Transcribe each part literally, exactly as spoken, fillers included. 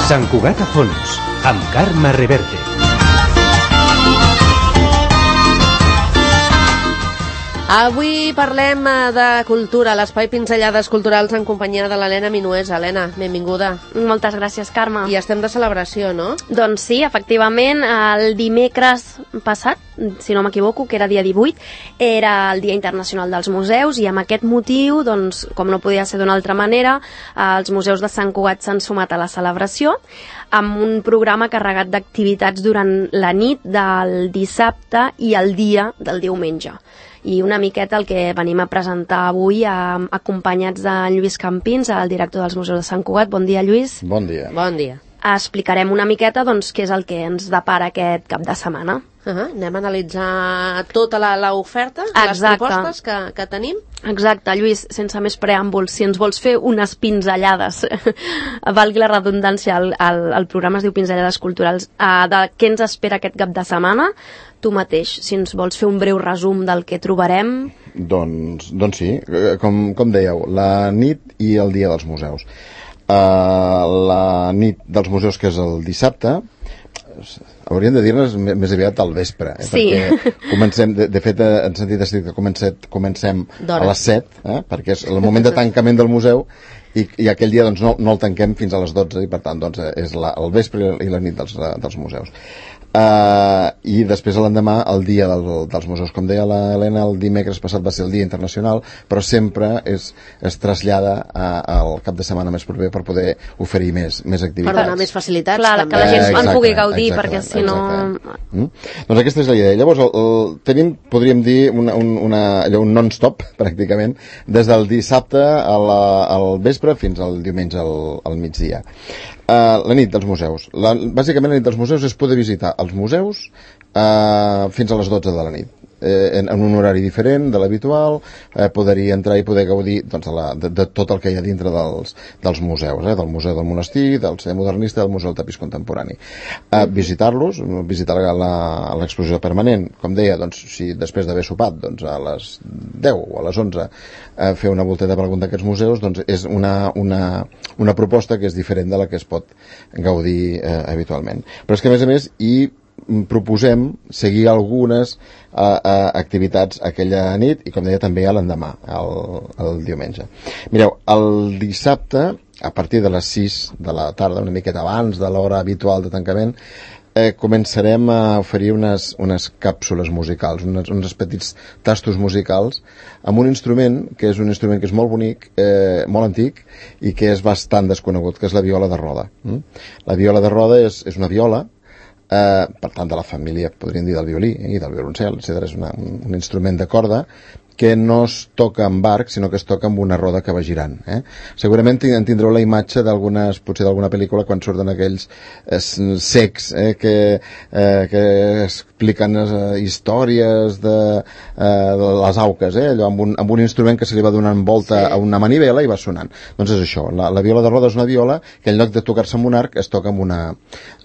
Sant Cugat a fons, amb Carme Reverte. Avui parlem de cultura, l'espai Pinzellades Culturals en companyia de l'Helena Minuesa. Helena, benvinguda. Moltes gràcies, Carme. I estem de celebració, no? Doncs sí, efectivament, el dimecres passat, si no m'equivoco, que era dia divuit, era el Dia Internacional dels Museus, i amb aquest motiu, doncs, com no podia ser d'una altra manera, els museus de Sant Cugat s'han sumat a la celebració amb un programa carregat d'activitats durant la nit del dissabte i el dia del diumenge. I una miqueta el que venim a presentar avui, eh, acompanyats de Lluís Campins, el director dels Museus de Sant Cugat. Bon dia, Lluís. Bon dia. Bon dia. Explicarem una miqueta doncs, què és el que ens depara aquest cap de setmana. Uh -huh. Anem a analitzar tota l'oferta, les propostes que, que tenim. Exacte, Lluís, sense més preàmbuls, si ens vols fer unes pinzellades, valgui la redundància, el, el, el programa es diu Pinzellades Culturals, uh, de què ens espera aquest cap de setmana, tu mateix, si ens vols fer un breu resum del que trobarem. Doncs, doncs sí, com, com dèieu, la nit i el dia dels museus. Uh, la nit dels museus, que és el dissabte, hauríem de dir-nos més aviat al vespre, eh? Sí. Perquè comencem, de, de fet, en sentit estricte, comencem, comencem a les set, eh? Perquè és el moment de tancament del museu, i, i aquell dia doncs, no, no el tanquem fins a les dotze, i per tant doncs, és la, el vespre i la nit dels, dels museus. Uh, i després l'endemà el dia del, dels museus, com deia l'Helena, el dimecres passat va ser el Dia Internacional, però sempre és, es trasllada a, al cap de setmana més proper per poder oferir més, més activitats. Per donar més facilitats. Clar, també. que la gent eh, en pugui gaudir, exacte, perquè si no... Mm? Doncs aquesta és la idea. Llavors el, el, tenim, podríem dir, una, un, una, allò, un non-stop, pràcticament, des del dissabte a la, al vespre fins al diumenge al, al migdia. Uh, la nit dels museus. La, bàsicament la nit dels museus és poder visitar els museus uh, fins a les dotze de la nit. Eh, en, en un horari diferent de l'habitual, eh, poder-hi entrar i poder gaudir doncs, de, la, de, de tot el que hi ha dintre dels, dels museus, eh, del Museu del Monestir, del Celler Modernista, del Museu del Tapís Contemporani. Eh, visitar-los, visitar l'exposició permanent, com deia, doncs, si després d'haver sopat doncs, a les deu o a les onze eh, fer una volteta per algun d'aquests museus, doncs és una, una, una proposta que és diferent de la que es pot gaudir eh, habitualment. Però és que, a més a més, hi proposem seguir algunes uh, uh, activitats aquella nit i, com deia, també a l'endemà, el, el diumenge. Mireu, el dissabte, a partir de les sis de la tarda, una miqueta abans de l'hora habitual de tancament, eh, començarem a oferir unes, unes càpsules musicals, unes, uns petits tastos musicals, amb un instrument, que és un instrument que és molt bonic, eh, molt antic, i que és bastant desconegut, que és la viola de roda. Mm? La viola de roda és, és una viola, Uh, per tant, de la família, podríem dir, del violí eh, i del violoncel, etcètera. És una, un, un instrument de corda que no es toca amb arc, sinó que es toca amb una roda que va girant. Eh? Segurament en tindreu la imatge d'algunes, potser d'alguna pel·lícula, quan surten aquells eh, secs eh, que, eh, que expliquen eh, històries de, eh, de les auques, eh? Allò amb, un, amb un instrument que se li va donant volta sí. a una manivela i va sonant. Doncs és això, la, la viola de roda és una viola que en lloc de tocar-se amb un arc es toca amb una,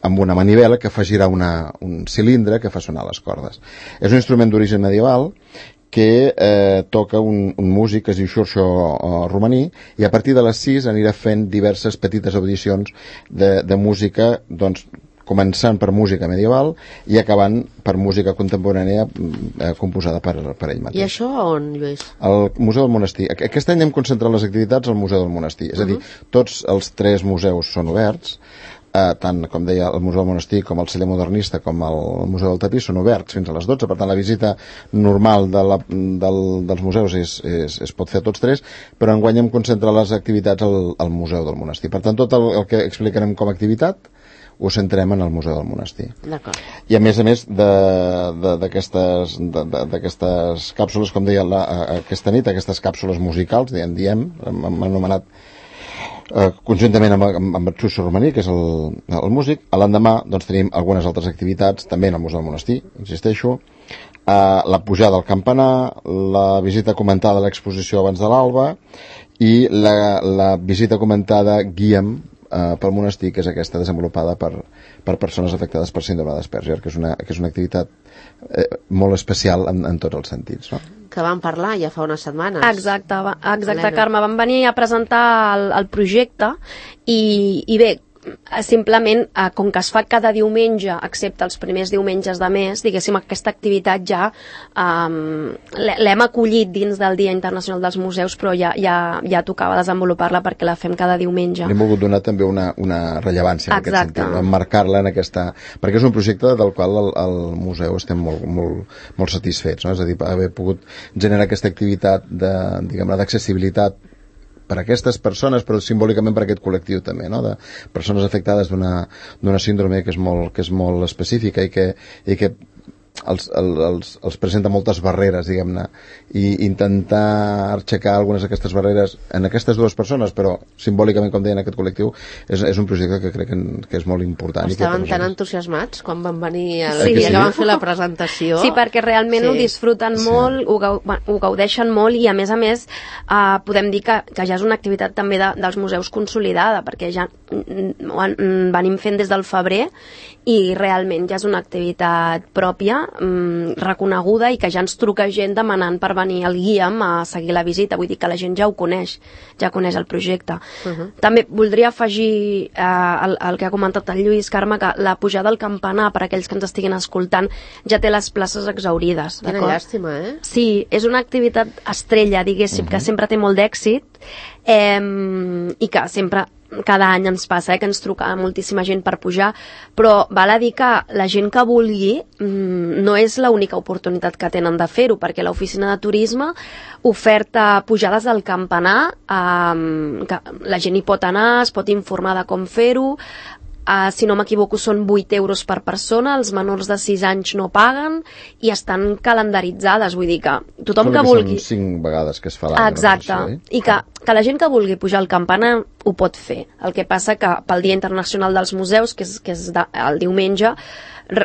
amb una manivela que fa girar una, un cilindre que fa sonar les cordes. És un instrument d'origen medieval que eh, toca un, un músic que es diu Xorxo uh, Romaní, i a partir de les sis anirà fent diverses petites audicions de, de música, doncs, començant per música medieval i acabant per música contemporània eh, composada per, per ell mateix. I això on, Lluís? Al Museu del Monestir. Aquest any hem concentrat les activitats al Museu del Monestir, és a dir, tots els tres museus són oberts, Eh, tant, com deia, el Museu del Monestir com el Celler Modernista com el Museu del Tapís són oberts fins a les dotze, per tant la visita normal de la, del, dels museus és, és, es pot fer a tots tres, però enguany hem concentrat les activitats al, al Museu del Monestir. Per tant, tot el, el que explicarem com a activitat ho centrem en el Museu del Monestir. D'acord. I a més a més d'aquestes càpsules, com deia la, aquesta nit, aquestes càpsules musicals, diem, diem hem anomenat Uh, conjuntament amb, amb, amb Xorxo Romaní, que és el, el músic. A l'endemà doncs, tenim algunes altres activitats, també en el Museu del Monestir, insisteixo, uh, la pujada al campanar, la visita comentada a l'exposició abans de l'alba i la, la visita comentada Guia'm uh, pel monestir, que és aquesta desenvolupada per, per persones afectades per síndrome d'Asperger, que és una, que és una activitat eh, molt especial en, en tots els sentits, no? Que vam parlar ja fa unes setmanes. Exacte, va, exacte, Carme. Vam venir a presentar el, el projecte i, i bé, simplement, eh, com que es fa cada diumenge, excepte els primers diumenges de mes, diguéssim, aquesta activitat ja um, l'hem acollit dins del Dia Internacional dels Museus, però ja, ja, ja tocava desenvolupar-la perquè la fem cada diumenge. Li hem volgut donar també una, una rellevància en Exacte. aquest sentit, emmarcar-la en aquesta... Perquè és un projecte del qual el, el museu estem molt, molt, molt satisfets, no? És a dir, haver pogut generar aquesta activitat de, diguem-ne, d'accessibilitat per a aquestes persones, però simbòlicament per a aquest col·lectiu també, no? De persones afectades d'una d'una síndrome que és molt, que és molt específica i que, i que els, els, els presenta moltes barreres, diguem-ne, i intentar aixecar algunes d'aquestes barreres en aquestes dues persones, però simbòlicament, com deien, aquest col·lectiu, és, és un projecte que crec que, que és molt important. Estaven i que tan entusiasmats quan van venir el sí, dia sí. que van fer la presentació. Sí, perquè realment sí. ho disfruten Sí. molt, ho, gau, ho gaudeixen molt i, a més a més, eh, podem dir que, que ja és una activitat també de, dels museus consolidada, perquè ja ho venim fent des del febrer i realment ja és una activitat pròpia, mm, reconeguda, i que ja ens truca gent demanant per venir al Guia'm a seguir la visita. Vull dir que la gent ja ho coneix, ja coneix el projecte. Uh -huh. També voldria afegir eh, el, el que ha comentat el Lluís, Carme, que la pujada al campanar, per aquells que ens estiguin escoltant, ja té les places exhaurides. Quina llàstima, eh? Sí, és una activitat estrella, diguéssim, uh -huh. que sempre té molt d'èxit eh, i que sempre... cada any ens passa, eh, que ens truca moltíssima gent per pujar, però val a dir que la gent que vulgui mmm, no és l'única oportunitat que tenen de fer-ho, perquè l'oficina de turisme oferta pujades al campanar, eh, que la gent hi pot anar, es pot informar de com fer-ho. Uh, si no m'equivoco són vuit euros per persona, els menors de sis anys no paguen i estan calendaritzades, vull dir que tothom Sembla que que vulgui... són cinc vegades que es fa l'any. Exacte, Això, eh? i que, que la gent que vulgui pujar al campanar ho pot fer. El que passa que pel Dia Internacional dels Museus, que és, que és de, el diumenge,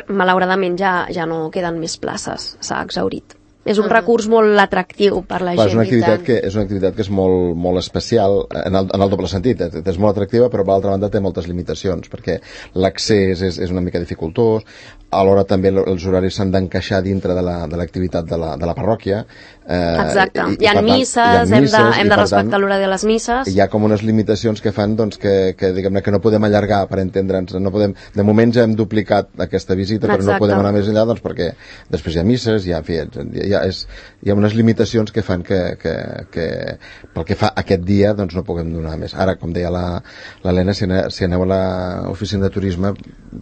malauradament ja, ja no queden més places, s'ha exhaurit. És un uh -huh. recurs molt atractiu per la Clar, gent. és una activitat que és una activitat que és molt, molt especial en el, en el doble sentit. És molt atractiva, però per l'altra banda té moltes limitacions, perquè l'accés és, és una mica dificultós, alhora també els horaris s'han d'encaixar dintre de l'activitat la, de, la, de la parròquia. Eh, Exacte. I, i, hi ha tant, misses, hi ha hem misses, de, hem de respectar tant, l'horari de les misses. Hi ha com unes limitacions que fan doncs, que, que, diguem-ne, que no podem allargar, per entendre'ns. No podem, de moment ja hem duplicat aquesta visita, però Exacte. no podem anar més enllà, doncs, perquè després hi ha misses, hi ha, en fi, hi ha, és, hi ha unes limitacions que fan que, que, que pel que fa aquest dia doncs no puguem donar més. Ara, com deia l'Helena, si, aneu, si aneu a l'oficina de turisme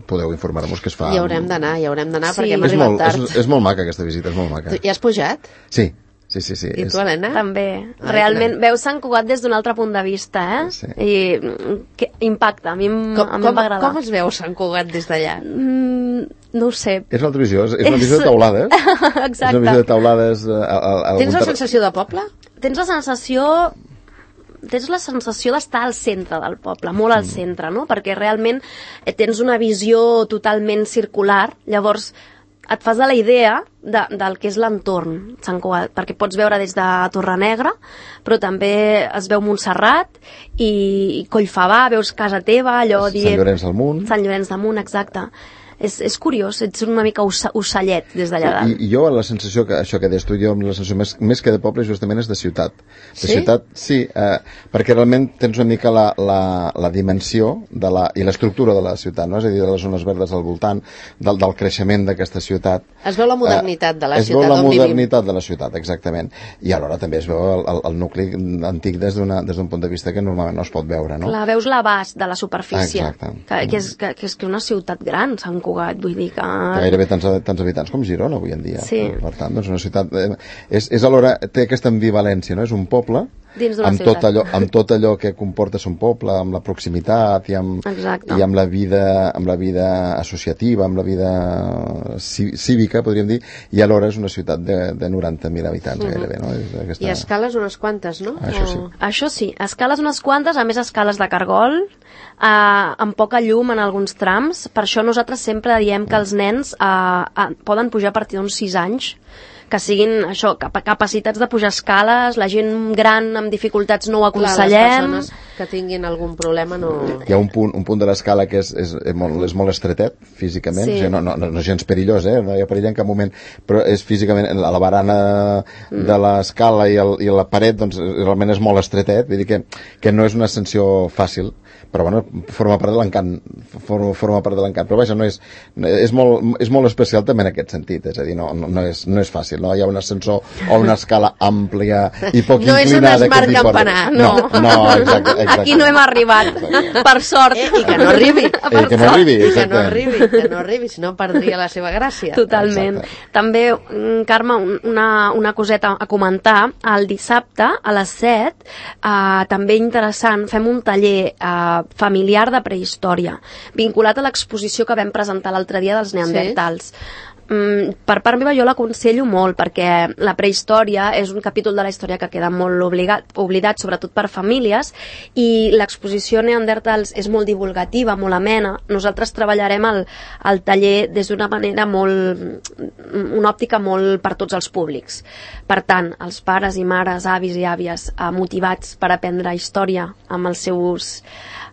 podeu informar-vos que es fa... Hi haurem d'anar, hi haurem d'anar, Sí. perquè hem És arribat molt, tard. és, és molt maca aquesta visita, és molt maca. Tu, hi has pujat? Sí, sí, sí. sí. I tu, Helena? També. Ai, Realment, clar. veus Sant Cugat des d'un altre punt de vista, eh? Sí. I que impacta, a mi, em- Com, a mi com, em va agradar. com es veu Sant Cugat des d'allà? Mm, no ho sé. És una altra visió, és, és una visió de taulades. Exacte. És una visió de taulades... Eh, al, al, Tens la al- sensació de poble? Tens la sensació tens la sensació d'estar al centre del poble, molt al centre, no? Perquè realment eh, tens una visió totalment circular, llavors et fas de la idea de, del que és l'entorn Sant Cugat, perquè pots veure des de Torrenegra, però també es veu Montserrat i, i Collfabà, veus casa teva, allò Sant dient... Llorenç del Munt. Sant Llorenç del Munt, exacte. És, és curiós, ets una mica ossa, ocellet des d'allà dalt. I, I jo la sensació, que això que deies tu, jo la sensació més, més que de poble justament és de ciutat. De Sí? ciutat, sí, eh, perquè realment tens una mica la, la, la dimensió de la, i l'estructura de la ciutat, no? És a dir, de les zones verdes al voltant, del, del creixement d'aquesta ciutat. Es veu la modernitat de la es ciutat veu la on vivim. modernitat de la ciutat, exactament. I alhora també es veu el, el, el nucli antic des d'un des d'un punt de vista que normalment no es pot veure, no? Clar, veus l'abast de la superfície, Exacte. que, que, és, que, que és que una ciutat gran, Sant Cugat, vull dir que... Gairebé tants, tants habitants com Girona avui en dia. Sí. Per tant, doncs una ciutat... Eh, és, és alhora, té aquesta ambivalència, no? És un poble Dins d'una amb ciutat. tot, allò, amb tot allò que comporta ser un poble, amb la proximitat i amb, Exacte. i amb la vida amb la vida associativa, amb la vida cívica, podríem dir, i alhora és una ciutat de, de noranta mil habitants, Mhm. gairebé, no? És aquesta... I escales unes quantes, no? Això sí. O- Això sí, escales unes quantes, a més escales de cargol, eh, amb poca llum en alguns trams. Per això nosaltres sempre diem que els nens eh, eh, poden pujar a partir d'uns sis anys, que siguin això, cap capacitats de pujar escales, la gent gran amb dificultats no ho Clar, les aconsellem. persones que tinguin algun problema no... Hi ha un punt, un punt de l'escala que és, és, és, molt, és molt estretet físicament, Sí. o sigui, no, no, no, no és gens perillós, eh? No hi ha perill en cap moment, però és físicament, a la barana mm. de l'escala i, el, i la paret, doncs realment és molt estretet, vull dir que, que no és una ascensió fàcil, però bueno, forma part de l'encant, forma, forma part de l'encant, però vaja, no és, és, molt, és molt especial també en aquest sentit, és a dir, no, no, no, és, no és fàcil, no hi ha un ascensor o una escala àmplia i poc no inclinada. No és un Smart Campanar, no. No, no exacte, exacte. Aquí no hem arribat, exacte. Per sort. Eh, I que no arribi. Eh, que no arribi, I que no exactament. arribi, que no arribi, si no perdria la seva gràcia. Totalment. Exacte. També, mm, Carme, una, una coseta a comentar. El dissabte, a les set, eh, també interessant, fem un taller eh, familiar de prehistòria, vinculat a l'exposició que vam presentar l'altre dia dels neandertals. Sí. Mm, per part meva jo l'aconsello molt, perquè la prehistòria és un capítol de la història que queda molt obligat, oblidat, sobretot per famílies, i l'exposició Neandertals és molt divulgativa, molt amena. Nosaltres treballarem el, el taller des d'una manera molt, una òptica molt per tots els públics. Per tant, els pares i mares, avis i àvies eh, motivats per aprendre història amb els seus,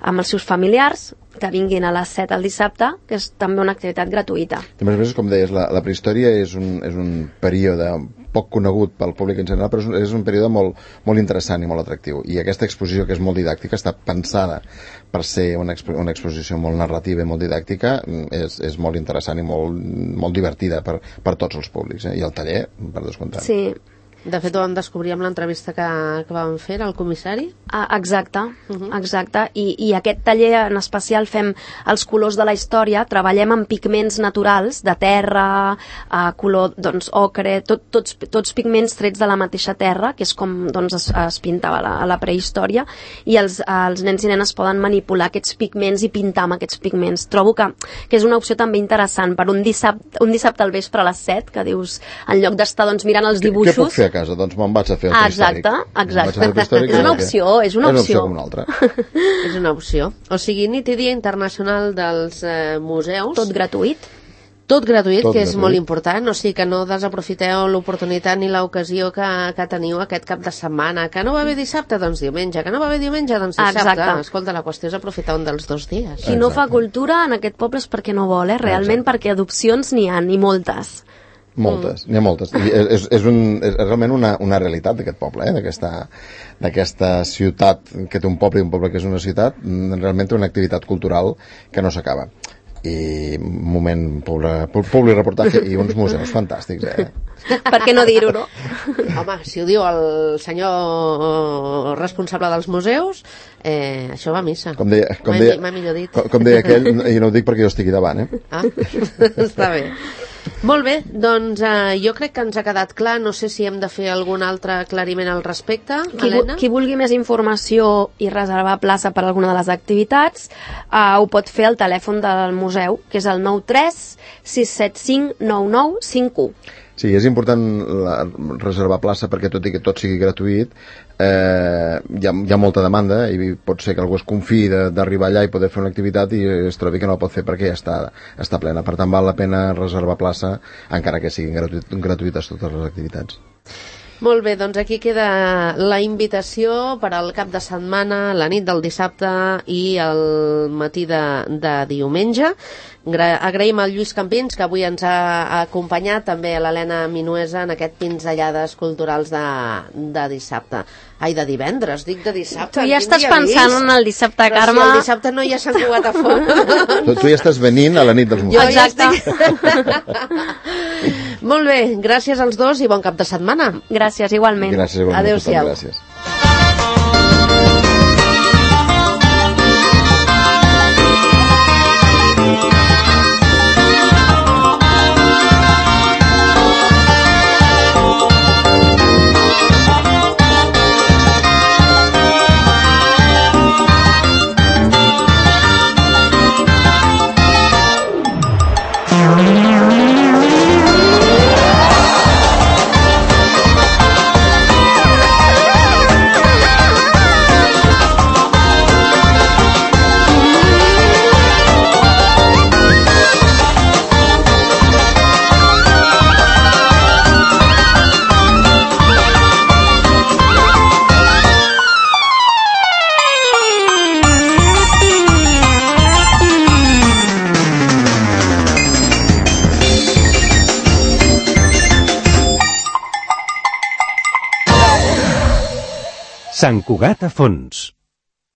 amb els seus familiars, que vinguin a les set al dissabte, que és també una activitat gratuïta. A més a més, com deies, la, la prehistòria és un, és un període poc conegut pel públic en general, però és un, és un període molt, molt interessant i molt atractiu. I aquesta exposició, que és molt didàctica, està pensada per ser una, expo una exposició molt narrativa i molt didàctica, és, és molt interessant i molt, molt divertida per, per tots els públics. Eh? I el taller, per descomptat. Sí. De fet, ho vam descobrir amb l'entrevista que, que vam fer al comissari. Ah, exacte, Uh -huh. exacte. I, I aquest taller en especial fem els colors de la història, treballem amb pigments naturals, de terra, eh, color, doncs, ocre, tot, tots, tots pigments trets de la mateixa terra, que és com doncs, es, es pintava a la, a la prehistòria, i els, els nens i nenes poden manipular aquests pigments i pintar amb aquests pigments. Trobo que, que és una opció també interessant per un dissabte, un dissabte al vespre a les set, que dius, en lloc d'estar doncs, mirant els dibuixos... Què puc fer a casa? Doncs me'n vaig a fer el Ah, prehistòric. exacte, exacte. Me'n vaig a fer el prehistòric, És una perquè opció, és una És una opció. opció com una altra. És una opció. O sigui, nit i dia internacional dels eh, museus. Tot gratuït. Tot gratuït, Tot que és gratuït. molt important, o sigui que no desaprofiteu l'oportunitat ni l'ocasió que, que teniu aquest cap de setmana. Que no va bé dissabte, doncs diumenge. Que no va bé diumenge, doncs dissabte. Exacte. Escolta, la qüestió és aprofitar un dels dos dies. Qui no fa Exacte. cultura en aquest poble és perquè no vol, eh? Realment Exacte. perquè adopcions n'hi ha, i moltes. Moltes, n'hi ha moltes. I és, és, un, és realment una, una realitat d'aquest poble, eh? d'aquesta d'aquesta ciutat que té un poble i un poble que és una ciutat, realment té una activitat cultural que no s'acaba. I un moment, públic reportatge i uns museus fantàstics, eh? Per què no dir-ho, no? Home, si ho diu el senyor responsable dels museus, eh, això va a missa. Com deia, com M'ha deia, m'ha millor dit. com, com deia aquell, i no ho dic perquè jo estigui davant, eh? Ah, està bé. Molt bé, doncs eh, jo crec que ens ha quedat clar. No sé si hem de fer algun altre aclariment al respecte, Qui, Helena. qui vulgui més informació i reservar plaça per alguna de les activitats, eh, ho pot fer al telèfon del museu, que és el nou tres sis set cinc nou nou cinc u. Sí, és important la, reservar plaça perquè tot i que tot sigui gratuït, eh, hi, ha, hi ha molta demanda i pot ser que algú es confiï d'arribar allà i poder fer una activitat i es trobi que no la pot fer perquè ja està, està plena. Per tant, val la pena reservar plaça encara que siguin gratuït, gratuïtes totes les activitats. Molt bé, doncs aquí queda la invitació per al cap de setmana, la nit del dissabte i el matí de, de diumenge. Gra agraïm al Lluís Campins, que avui ens ha acompanyat, també a l'Helena Minuesa en aquest Pinzellades Culturals de, de dissabte. Ai, de divendres, dic de dissabte. Tu ja Quin estàs dia pensant vist? en el dissabte, Però Carme. si el dissabte no hi ha Sant Cugat a fora. Tu, tu ja estàs venint a la nit dels Jo museus. ja Exacte. estic... Molt bé, gràcies als dos i bon cap de setmana. Gràcies, igualment. Gràcies, igualment. Adéu-siau. Gràcies. Sant Cugat a fons.